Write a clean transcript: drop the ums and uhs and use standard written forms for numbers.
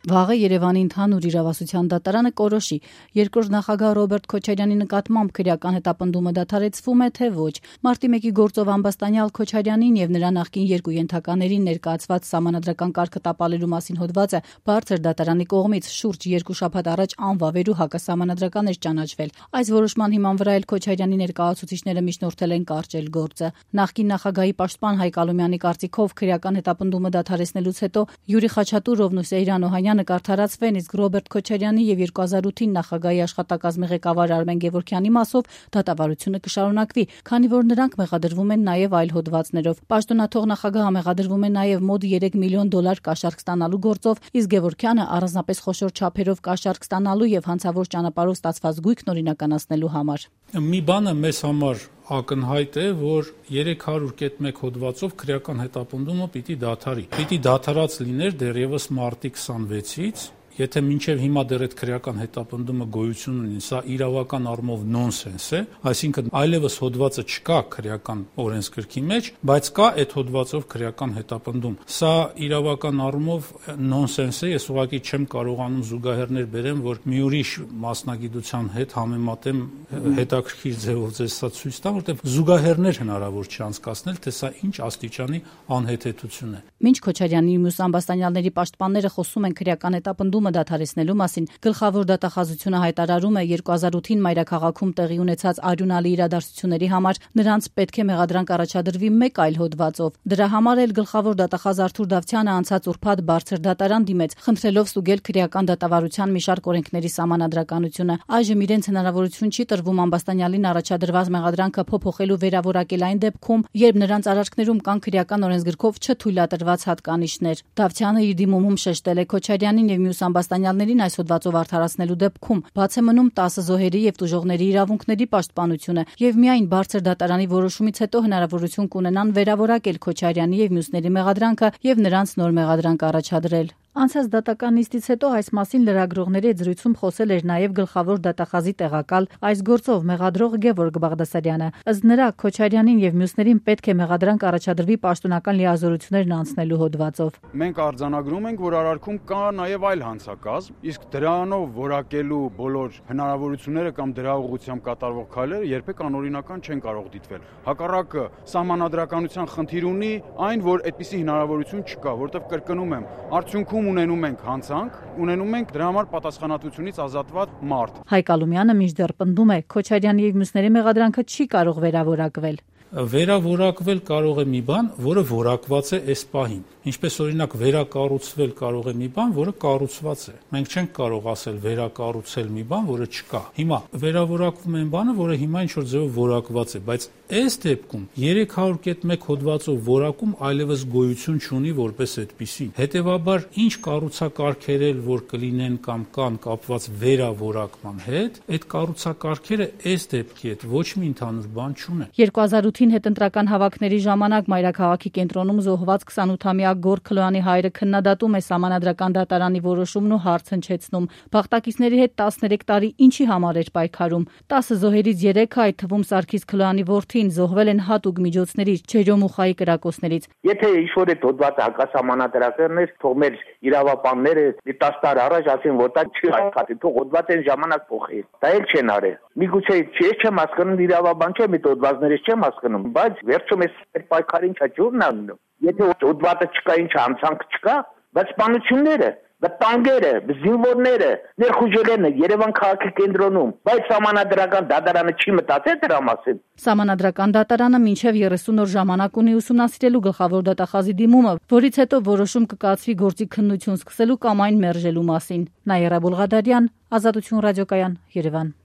Վաղը Երևանի ընդհանուր իրավասության դատարանը կորոշի երկրորդ նախագահ Ռոբերտ Քոչարյանի նկատմամբ քրեական հետապնդումը դադարեցվում է, թե ոչ։ Մարտի 1-ի գործով ամբաստանյալ Քոչարյանին եւ նրա նախկին երկու ենթականերին ներկայացված սահմանադրական կարգը տապալելու մասին հոդվածը բարձր դատարանի կողմից շուրջ 2 շաբաթ առաջ անվավեր ու հակասահմանադրական էր ճանաչվել։ Այս որոշման հիման վրա էլ Քոչարյանի ներկայացուցիչները միջնորդել են կարճել գործը։ Նախկին նախագահի պաշտպան Հայկ Ալոմյանի կարծիքով քրեական հետապնդումը դադարեցնելուց հետո Յուրի Խաչատուրովն ու Սեյրան Օհանյանը կարդարացվեն, իսկ Ռոբերտ Քոչարյանի եւ 2008-ին նախագահի աշխատակազմի ղեկավար Արմեն Գևորգյանի մասով դատավարությունը կշարունակվի, քանի որ նրանք մեղադրվում են նաեւ այլ հոդվածներով։ Պաշտոնաթող նախագահը մեղադրվում է նաեւ մոտ $3 միլիոն կաշառք ստանալու գործով, իսկ Գևորգյանը առանձնապես խոշոր չափերով կաշառք ստանալու եւ հանցավոր ճանապարհով ստացված գույքն օրինականացնելու համար։ Մի բանը մեզ համար ակնհայտ է, որ 301 հոդվածով քրեական հետապնդումը պիտի դադարի։ Պիտի դադարած լիներ դեռևս մարտի 26-ից, եթե մինչև հիմա դեռ այդ քրեական հետապնդումը գոյություն ունի, սա իրավական առումով նոնսենս է, այսինքն այլևս հոդվածը չկա քրեական օրենսգրքի մեջ, բայց կա այդ հոդվածով քրեական հետապնդում։ Սա իրավական առումով նոնսենս է, ես ուղղակի չեմ կարողանում զուգահեռներ բերեմ, որ մի ուրիշ մասնագիտության հետ համեմատեմ հետաքրքիր ձևով ձեզ սա ցույց տամ, որտեղ զուգահեռներ հնարավոր չի անցկացնել, թե սա ինչ աստիճանի անհեթեթություն է։ Մինչ Քոչարյանի մյուս ամբաստանյալների պաշտպանները խոսում են քրեական հետապնդումը դադարեցնելու մասին, գլխավոր դատախազությունը հայտարարում է 2008-ին մայրաքաղաքում տեղի ունեցած արյունալի իրադարձությունների համար նրանց պետք է մեղադրանք առաջադրվի մեկ այլ հոդվածով։ Դրա համար էլ գլխավոր դատախազ Արթուր Դավթյանը անցած ուրբաթ բարձր դատարան դիմեց, խնդրելով ստուգել քրեական դատավարության մի շարք օրենքների սահմանադրականությունը։ Այժմ իրենց հնարավորություն չի տրվում ամբաստանյալին առաջադրված մեղադրանքը փոփոխելու վերավորակել այն դեպքում, երբ նրանց արարքներում կան քրեական օրենսգրքով չթույլատրված հատկանիշներ։ Դավթյանը իր դիմումում շեշտել է Քոչարյանին եւ մյուս ամբաստանյալներին այս հոդվածով արդարացնելու դեպքում բաց է մնում 10 զոհերի եւ տուժողների իրավունքների պաշտպանությունը եւ միայն բարձր դատարանի որոշումից հետո հնարավորություն կունենան վերավորակել Քոչարյանի եւ մյուսների մեղադրանքը եւ նրանց նոր մեղադրանք առաջադրել։ Անցած դատական նիստից հետո այս մասին լրագրողների հետ զրույցում խոսել էր նաև գլխավոր դատախազի տեղակալ այս գործով մեղադրող Գևորգ Բաղդասարյանը։ Ըստ նրա Քոչարյանին եւ մյուսներին պետք է մեղադրանք առաջադրվի պաշտոնական լիազորություններն անցնելու հոդվածով։ Մենք արձանագրում ենք, որ արարքում կա նաև այլ հանցակազմ, իսկ դրանով որակելու բոլոր հնարավորությունները կամ դրա ուղղությամբ կատարվող քայլերը երբեք անօրինական չեն կարող դիտվել։ Հակառակը սահմանադրականության խնդիր ունի այն, որ այդպիսի հնարավորություն չկա, որտեղ կրկնում եմ, արդյունքում ունենում ենք հանցանք, ունենում ենք դրա համար պատասխանատվությունից ազատված մարդ։ Հայկ Ալոմյանը մինչդեռ պնդում է Քոչարյանի եւ մյուսների մեղադրանքը չի կարող վերավորակվել։ Վերավորակվել կարող է մի բան, որը որակված է այս պահին։ Ինչպես օրինակ վերակառուցվել կարող է մի բան, որը կառուցված է։ Մենք չենք կարող ասել վերակառուցել մի բան, որը չկա։ Հիմա վերավորակվում են բանը, որը հիմա ինչ-որ ձևով որակված է, բայց այս դեպքում 301 հոդվածով որակում այլևս գոյություն չունի որպես այդպիսի։ Հետևաբար ինչ կառուցակարգեր որ կլինեն կամ կան կապված վերավորակման հետ, այդ կառուցակարգերը այս դեպքի հետ ոչ մի ընդհանուր բան չունեն։ 2008-ին հետընտրական հավաքների ժամանակ մայրաքաղաքի կենտրոնում զոհված 28-ամյա Գոր Քլոյանի հայրը քննադատում է սահմանադրական դատարանի որոշումն ու հարց հնչեցնում։ Բախտակիցների հետ 13 տարի ինչի համար էր պայքարում։ 10 զոհերից 3-ը, այդ թվում Սարգիս Քլոյանի որդին, զոհվել են հատուկ միջոցներից, Ջերոմուխայի կրակոցներից։ Եթե ինչ-որ այդ հոդվածը հակասահմանադրական էր, թող մեր իրավապանները 10 տարի առաջ ասեն, որ դա չի աշխատի, թող հոդվածը այն ժամանակ փոխի։ Դա էլ չեն արել։ Միգուցե ես չեմ հասկանում իրավաբան չեմ, այդ հոդվածներից չեմ հասկանում, բայց վերջում այս պայքարին չջուրն անում։ Եթե հոդվածը չկա, ինչ հանցանք չկա, բայց սպանությունները, վտանգերը, զինվորները ներխուժել են Երևան քաղաքի կենտրոնում, բայց սահմանադրական դատարանը չի մտածել դրա մասին։ Սահմանադրական դատարանը մինչև 30 օր ժամանակ ունի ուսումնասիրելու գլխավոր դատախազի դիմումը, որից հետո որոշում կկայացվի գործի քննություն սկսելու կամ այն մերժելու մասին։ Նաիրա Բուլղադարյան, Ազատություն ռադիոկայան, Երևան։